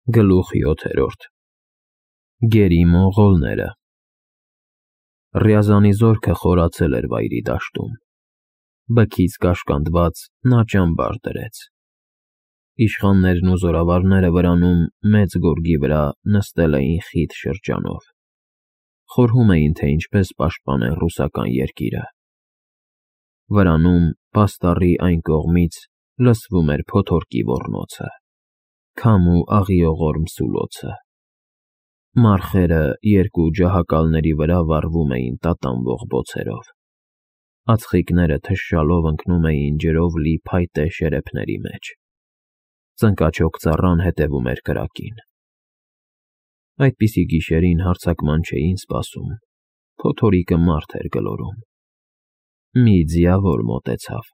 Գլուխ 7 Գերի մոնղոլները Ռյազանի զորքը խորացել էր վայրի դաշտում, բքից կաշկանդված նա ճամբար դրեց, իշխաններն ու զորավարները վրանում մեծ գորգի վրա նստել էին խիտ շրջանով, խորհում էին, թե ինչպես պաշտպանեն ռուսական երկիրը, վրանում պաստառի այն կողմից լսվում էր փոթորկի ոռնոցը, քամ ու աղիողորմ սուլոցը, մառխերը երկու ջահակալների վրա վառվում էին տատանվող բոցերով, ածխիկները թշշալով ընկնում էին ջրով լի փայտե շերեփների մեջ, ծնկաչոք ծառան հետևում էր կրակին, այդպիսի գիշերին հարձակման չէին սպասում, փոթորիկը մարդ էր գլորում, մի ձիավոր մոտեցավ,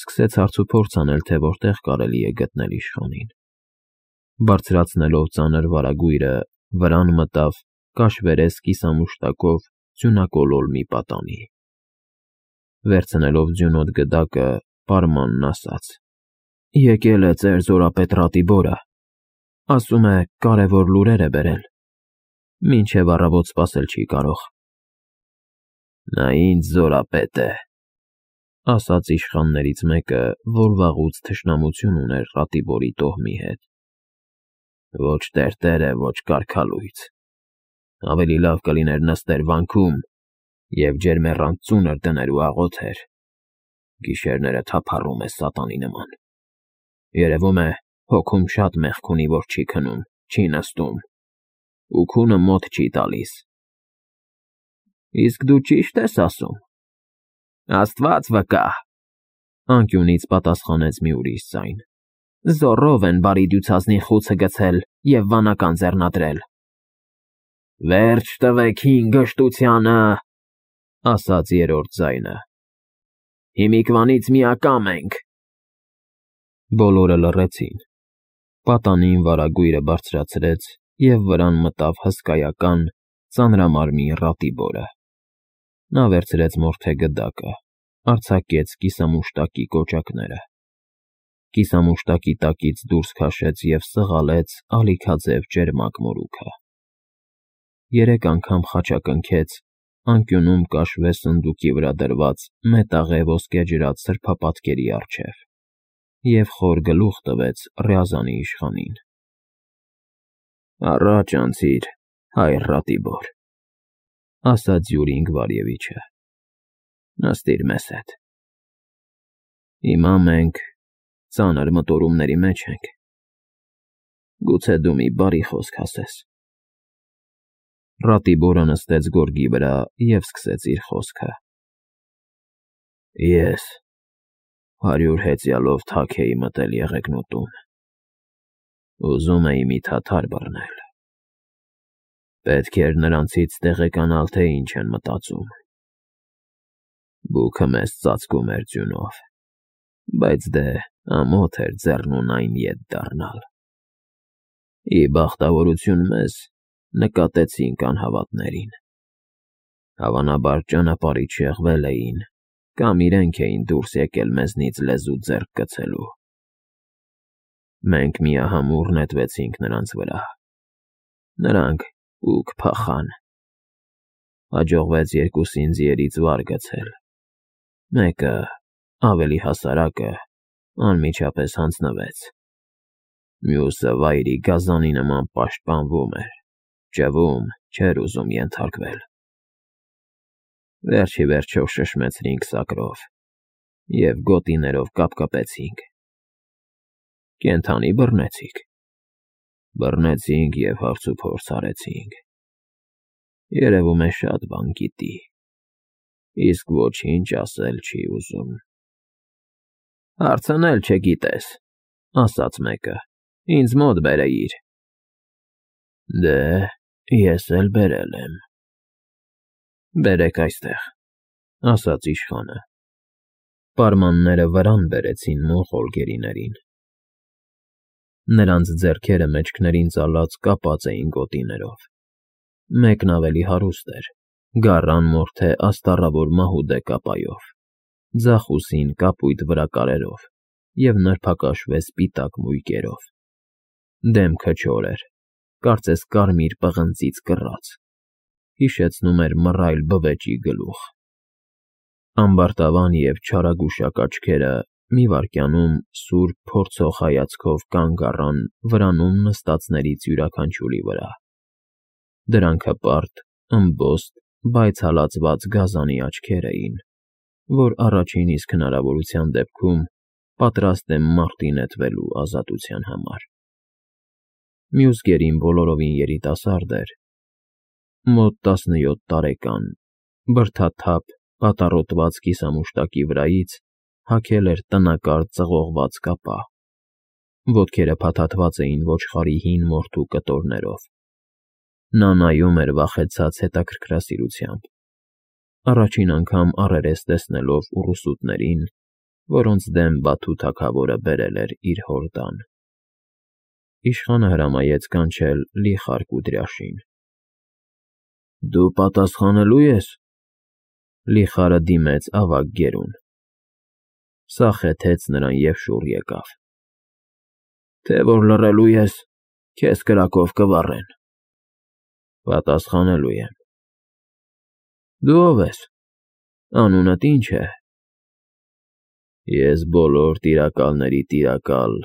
սկսեց հարցուփորձ անել, թե որտեղ կարելի է գտնել իշխանին, բարձրացնելով ծանր վարագույրը, վրան մտավ կաշվերես կիսամուշտակով ձյունակոլոլ մի պատանի, վերցնելով ձյունոտ գդակը, պարմանն ասաց. Եկել է ձեր զորապետ Ռատիբորը, ասում է կարևոր լուրեր է բերել, մինչև առավոտ սպասել չի կարող։ Նա ինձ զորապետ է, ասաց իշխաններից մեկը, որ վաղուց թշնամություն ուներ Ռատիբորի տոհմի հետ։ Ոչ տերտեր է, ոչ կարգալույց, ավելի լավ կլիներ նստեր վանքում և ջերմեռանդ ծունր դներ ու աղոթեր, գիշերները թափառում է սատանի նման, երևում է հոգում շատ մեղք ունի, որ չի քնում, չի նստում, ու քունը մոտ չի տալիս։ Իսկ դու ճիշտ ես ասում։ Աստված վկա, անկյունից պատասխանեց մի ուրիշ ձայն։ Զոռով են բարի դյուցազնի խուցը գցել և վանական ձեռնադրել։ Վերջ տվեք հին գժտությանը, ասաց երրորդ ձայնը։ Հիմիկվանից միակամ ենք։ Բոլորը լռեցին։ Պատանին վարագույրը բարձրացրեց և վրան մտավ հսկայական, ծանրամարմին Ռատիբորը։ Նա վերցրեց մորթե գդակը, արձակեց կիսամուշտակի կոճակները, կիսամուշտակի տակից դուրս քաշեց և սղալեց ալիքաձև ճերմակ մորուքը։ 3 անգամ խաչակնքեց անկյունում կաշվե սնդուկի վրա դրված մետաղե ոսկեջրած սրբապատկերի առջև և խոր գլուխ տվեց Ռյազանի իշխանին։ Առաջ անցիր, հայր Ռատիբոր, ասաց Յուրի Ինգվարևիչը, նստիր մեզ հետ։ Հիմա մենք ծանր մտորումների մեջ ենք, գուցե դու մի բարի խոսք ասես։ Ռատիբորը նստեց գորգի վրա և սկսեց իր խոսքը։ Ես 100 հեծյալով թաք էի մտել եղեգնուտում, ուզում էի մի թաթար բռնել, պետք էր նրանցից տեղեկանալ, թե ինչ են մտածում, բուքը մեզ ծածկում էր ձյունով, բայց դե ամոթ էր ձեռնուն այն ետ դառնալ, ի բախտավորություն մեզ նկատեցինք անհավատներին, հավանաբար ճանապարհից շեղվել էին, կամ իրենք էին դուրս եկել մեզնից լեզու ձեռք գցելու։ Մենք միահամուռ նետվեցինք նրանց վրա, նրանք ուկ փախան, հաջողվեց երկուսին ձիերից վար գցել, մեկը, ավելի հասարակը, անմիջապես հանձնվեց, մյուսը վայրի գազանի նման պաշտպանվում էր, ճվում, չէր ուզում ենթարկվել։ Վերջ ի վերջո շշմեցրինք սակրով և գոտիներով կապկպեցինք։ Կենդանի բռնեցիք։ Բռնեցինք և հարցուփորձ արեցինք։ Երևում է շատ բան գիտի, իսկ ոչինչ ասել չի ուզում։ Հարցնել չգիտես, ասաց մեկը, ինձ մոտ բերեիր։ Դե, ես էլ բերել եմ։ Բերեք այստեղ, ասաց իշխանը։ Պարմանները վրան բերեցին մոնղոլ գերիներին։ Նրանց ձեռքերը մեջքներին ծալած կապած էին գոտիներով։ Մեկն ավելի հարուստ էր, գառան մորթե աստառավոր մահուդե կապայով, ձախ ուսին կապույտ վրակարերով և նրբակաշվե սպիտակ մույկերով։ Դեմքը չոր էր, կարծես կարմիր պղնձից կռած, հիշեցնում էր մռայլ բվեճի գլուխ։ Ամբարտավան և չարագուշակ աչքերը մի վայրկյանում սուրբ փորձող հայացքով կանգ առան վրանում նստածներից յուրաքանչյուրի վրա։ Դրանք հպարտ, ըմբոստ, բայց հալածված գազանի աչքեր էին, որ առաջին իսկ հնարավորության դեպքում պատրաստ եմ մարտի նետվելու ազատության համար։ Մյուս գերին բոլորովին երիտասարդ էր, մոտ 17 տարեկան, բրդաթափ, պատառոտված կիսամուշտակի վրայից հագել էր տնակարճ ծղողված կապա, ոտքերը փաթաթված էին ոչխարի հին մորթու կտորներով։ Նա նայում էր վախեցած հետաքրքրասիրությամբ, առաջին անգամ առերես տեսնելով ուռուսուտներին, որոնց դեմ Բաթու թագավորը բերել էր իր հորդան։ Իշխանը հրամայեց կանչել Լիխար Կուդրյաշին։ Դու պատասխանելու ես։ Լիխարը դիմեց ավագ գերուն։ Սա խեթեց նրան և շուռ եկավ։ Թե որ լռելու ես, քեզ կրակով կվառեն։ Պատասխանելու եմ։ Դու ով ես, անունդ ինչ է։ Ես բոլոր տիրակալների տիրակալ,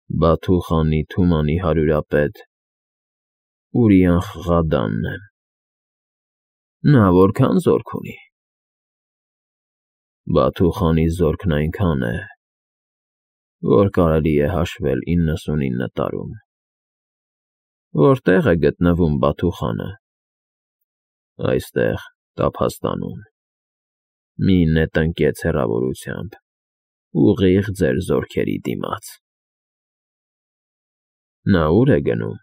Բաթու խանի Թումանի հարյուրապետ Ուրիան Խղադանն եմ։ Նա որքան զորք ունի։ Բաթու խանի զորքն այնքան է, որ կարելի է հաշվել 99 տարում։ Որտե՞ղ է գտնվում Բաթու խանը։ Այստեղ, Տափաստանում։ Մի նետ ընկեց հեռավորությամբ, ուղիղ ձեր զորքերի դիմաց։ Նա ուր է գնում։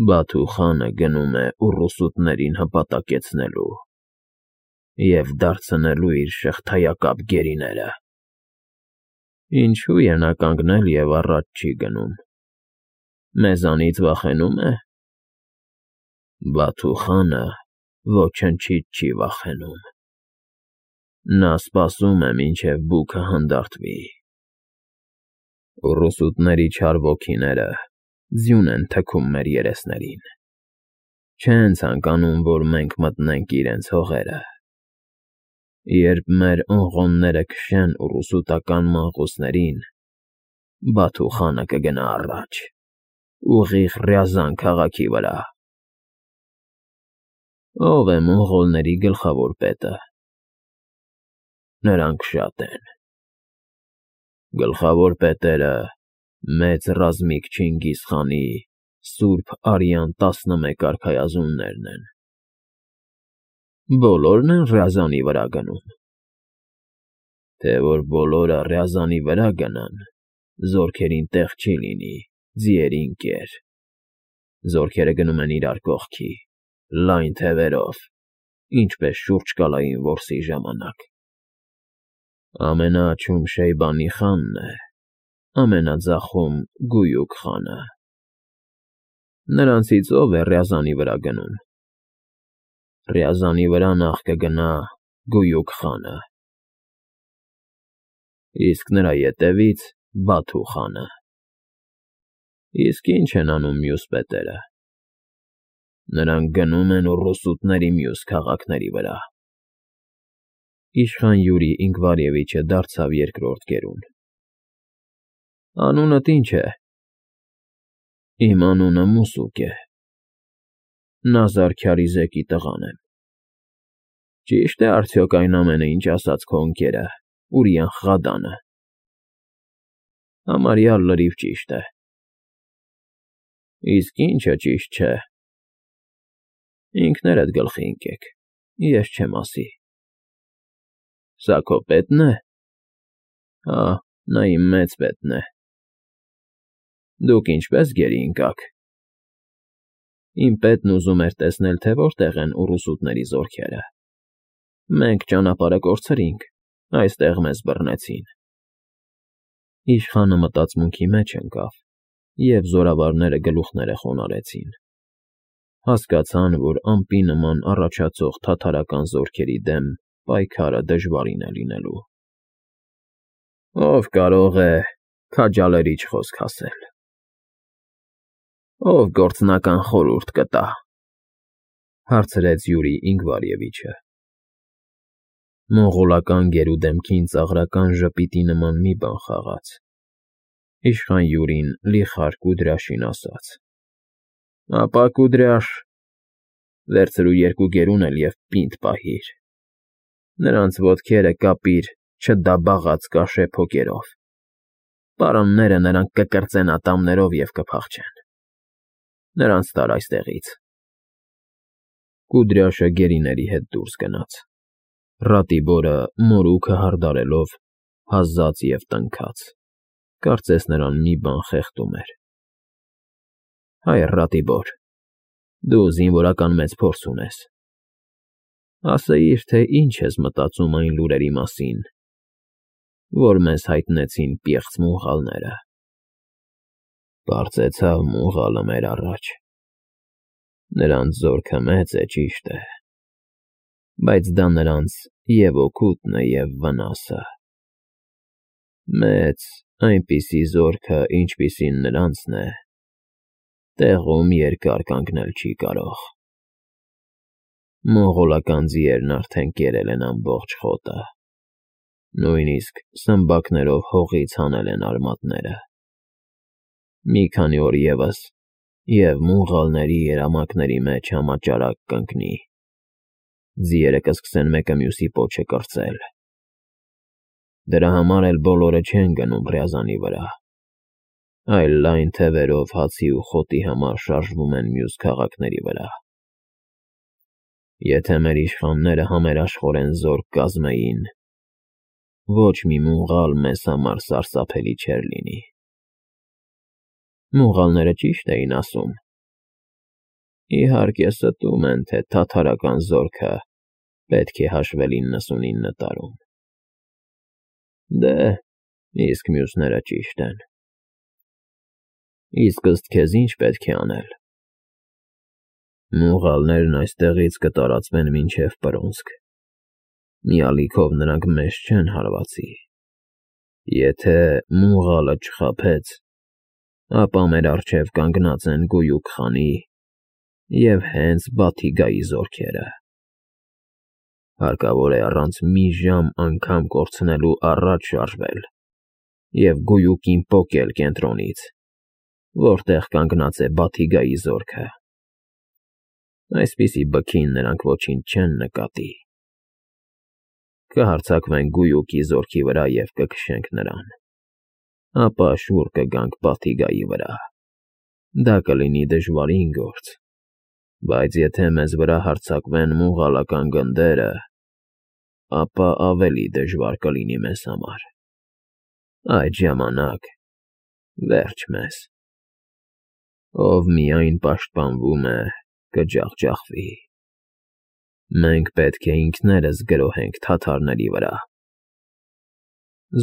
Բաթու խանը գնում է ուռուսուտներին հպատակեցնելու և դարձնելու իր շղթայակապ գերիները։ Ինչու է նա կանգնել և առաջ չի գնում։ Մեզանից վախենու՞մ է։ Բաթու խանը ոչնչից չի վախենում։ Նա սպասում է, մինչև բուքը հանդարտվի։ Ուռուսուտների չար ոգիները ձյուն են թքում մեր երեսներին։ Չեն ցանկանում, որ մենք մտնենք իրենց հողերը։ Երբ մեր օղոնները քշեն ուռուսուտական մանկուսներին, Բաթու խանը կգնա առաջ, ուղիղ Ռյազան քաղաքի վրա։ Ո՞վ է մոնղոլների գլխավոր պետը։ Նրանք շատ են։ Գլխավոր պետերը մեծ ռազմիկ Չինգիզ խանի սուրբ արյան 11 արքայազուններն են։ Բոլորն են Ռյազանի վրա գնում։ Թե որ բոլորը Ռյազանի վրա գնան, զորքերին տեղ չի լինի, ձիերին կեր։ Զորքերը գնում են իրար կողքի, լայն թևերով, ինչպես շուրջկալային որսի ժամանակ։ Ամենաաջում Շեյբանի խանն է, ամենաձախում Գույուք խանը։ Նրանցից ով է Ռյազանի վրա գնում։ Ռյազանի վրա նախ կգնա Գույուք խանը, իսկ նրա ետևից Բաթու խանը։ Իսկ ինչ են անում մյուս պետերը։ Նրանք գնում են ուռուսուտների մյուս քաղաքների վրա։ Իշխան Յուրի Ինկվարևիչը դարձավ երկրորդ գերուն։ Անունդ ինչ է։ Իմ անունը Մուսուկ է։ Նազար Քարիզեկի տղան եմ։ Ճի՞շտ է արդյոք այն ամենը, ինչ ասաց քո ընկերը, Ուրիան Խղադանը։ Համարյա լրիվ ճիշտ է։ Իսկ ինչը ճիշտ չէ։ Ինքներդ գլխի ընկեք, ես չեմ ասի։ Սա քո պետն է։ Հա, նա իմ մեծ պետն է։ Դուք ինչպես գերի ընկաք։ Իմ պետն ուզում էր տեսնել, թե որտեղ են ուռուսուտների զորքերը։ Մենք ճանապարհը կորցրինք, այստեղ մեզ բռնեցին։ Իշխանը մտածմունքի մեջ ընկավ, և զորավարները գլուխները խոնարհեցին։ Հասկացան, որ ամպի նման առաջացող թաթարական զորքերի դեմ պայքարը դժվարին է լինելու։ Ով կարող է քաջալերիչ խոսք ասել։ Ով գործնական խորհուրդ կտա, հարցրեց Յուրի Ինգվարևիչը։ Մոնղոլական գերուդեմքին ծաղրական ժպիտի նման մի բան խաղաց։ Իշխան Յուրին լի խար Կուդրյաշին ասաց. Ապա Կուդրյաշ, վերցրու 2 գերուն էլ և պինդ պահիր։ Նրանց ոտքերը կապիր չդաբաղած կաշե փոկերով։ Պարանները նրանք կկրծեն ատամներով և կփախչեն։ Նրանց տար այստեղից։ Կուդրյաշը գերիների հետ դուրս գնաց։ Ռատիբորը մորուքը հարդարելով հազաց և տնքաց, կարծես նրան մի բան խեղդում էր։ Հայր Ռատիբոր, դու զինվորական մեծ փորձ ունես, ասեիր, թե ինչ ես մտածում այն լուրերի մասին, որ մեզ հայտնեցին պիղծ մունղալները։ Պարծեցավ մունղալը մեր առաջ։ Նրանց զորքը մեծ է, ճիշտ է, բայց դա նրանց և օգուտն է, և վնասը։ Մեծ այնպիսի զորքը, ինչպիսին նրանցն է, տեղում երկար կանգնել չի կարող։ Մոնղոլական ձիերն արդեն կերել են ամբողջ խոտը, նույնիսկ սմբակներով հողից հանել են արմատները։ Մի քանի օր ևս, և մունղալների երամակների մեջ համաճարակ կընկնի։ Ձիերը կսկսեն մեկը մյուսի պոչը կրծել։ Դրա համար էլ բոլորը չեն գնում Ռյազանի վրա, այլ լայն թևերով հացի ու խոտի համար շարժվում են մյուս քաղաքների վրա։ Եթե մեր իշխանները համերաշխորեն զորք կազմեին, ոչ մի մունղալ մեզ համար սարսափելի չէր լինի։ Մունղալները ճիշտ էին ասում։ Իհարկե ստում են, թե թաթարական զորքը պետք է հաշվել 99 տարում։ Դե, իսկ մյուսները ճիշտ են։ Իսկ ըստ քեզ ինչ պետք է անել։ Մունղալներն այստեղից կտարածվեն մինչև Պրոնսկ։ Մի ալիքով նրանք մեզ չեն հարվածի։ Եթե մունղալը չխաբեց, ապա մեր առջև կանգնած են Գույուք խանի և հենց Բաթիգայի զորքերը։ Հարկավոր է առանց մի ժամ անգամ կորցնելու առաջ շարժվել և Գույուկին պոկել կենտրոնից, որտեղ կանգնած է Բաթիգայի զորքը։ Այսպիսի բքին նրանք ոչինչ չեն նկատի։ Կհարձակվենք Գույուկի զորքի վրա և կքշենք նրան, ապա շուռ կգանք Բաթիգայի վրա։ Դա կլինի դժվարին գործ, բայց եթե մեզ վրա հարձակվեն մոնղոլական գնդերը, ապա ավելի դժվար կլինի մեզ համար։ Այդ ժամանակ վերջ մեզ։ Ով միայն պաշտպանվում է, կջախջախվի։ Մենք պետք է ինքներս գրոհենք թաթարների վրա։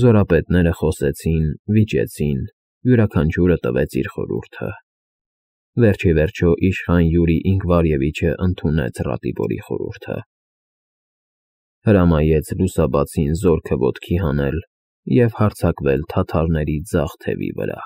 Զորապետները խոսեցին, վիճեցին, յուրաքանչյուրը տվեց իր խորհուրդը։ Վերջիվերջո իշխան Յուրի Ինգվարևիչը ընդունեց Ռատիբորի խորհուրդը։ Հրամայեց լուսաբացին զորքը ոտքի հանել և հարձակվել թաթարների ձախ թևի վրա։